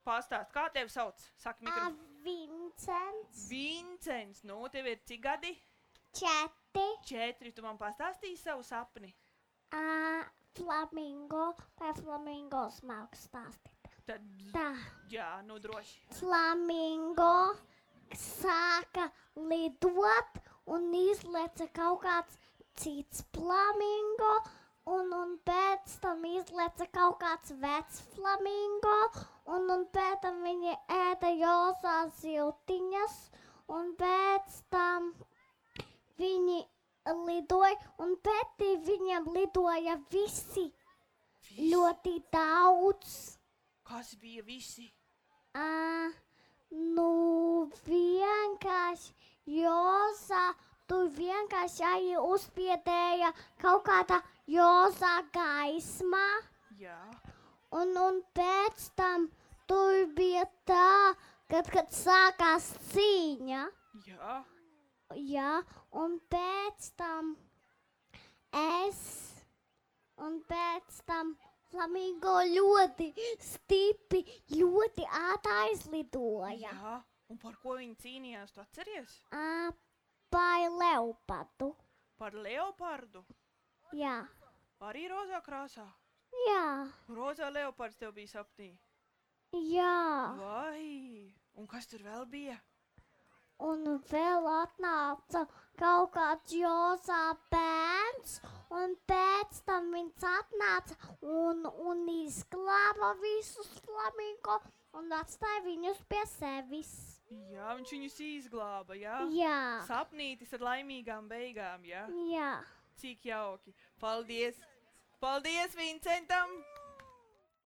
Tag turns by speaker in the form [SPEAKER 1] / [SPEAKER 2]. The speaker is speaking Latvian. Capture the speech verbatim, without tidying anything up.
[SPEAKER 1] Pastāst, kā tevi sauc? Saki mikro.
[SPEAKER 2] Vincents.
[SPEAKER 1] Vincents, nu, tev ir cik gadi?
[SPEAKER 2] Četri.
[SPEAKER 1] Četri, tu man pastāstīji savu sapni?
[SPEAKER 2] Uh, flamingo. Vai flamingo smalku stāstīt?
[SPEAKER 1] Tad,
[SPEAKER 2] Tā.
[SPEAKER 1] jā, nu droši.
[SPEAKER 2] Flamingo sāka lidot un izleca kaut kāds cits flamingo. Un, un pēc tam izleca kaut kāds vecs flamingo, un, un pēc tam viņi ēda jozās ziltiņas, un pēc tam viņi lidoja, un pētī viņam lidoja visi,
[SPEAKER 1] Visi?
[SPEAKER 2] ļoti daudz.
[SPEAKER 1] Kas bija visi?
[SPEAKER 2] Uh, nu, vienkārši jozā, tu vienkārši arī uzspiedēja kaut kāda jozā gaismā,
[SPEAKER 1] Jā.
[SPEAKER 2] un, un pēc tam tur bija tā, kad, kad sākās cīņa,
[SPEAKER 1] Jā.
[SPEAKER 2] jā, un pēc tam es, un pēc tam flamingo ļoti stipri, ļoti ātri aizlidoja.
[SPEAKER 1] Jā. Un par ko viņi cīnījās, tu atceries?
[SPEAKER 2] Uh, Par leopardu.
[SPEAKER 1] Par leopardu?
[SPEAKER 2] Jā.
[SPEAKER 1] Arī rozā krāsā?
[SPEAKER 2] Jā.
[SPEAKER 1] Rozā leopards tev bija sapnī?
[SPEAKER 2] Jā.
[SPEAKER 1] Vai? Un kas tur vēl bija?
[SPEAKER 2] Un vēl atnāca kaut kāds jozā bērns, un pēc tam viņš atnāca un, un izglāba visus flamingo un atstāja viņus pie sevis.
[SPEAKER 1] Jā, viņš viņus izglāba, jā?
[SPEAKER 2] Jā.
[SPEAKER 1] Sapnītis ar laimīgām beigām, jā?
[SPEAKER 2] Jā.
[SPEAKER 1] Cik jauki. Paldies. Paldies Vincentam.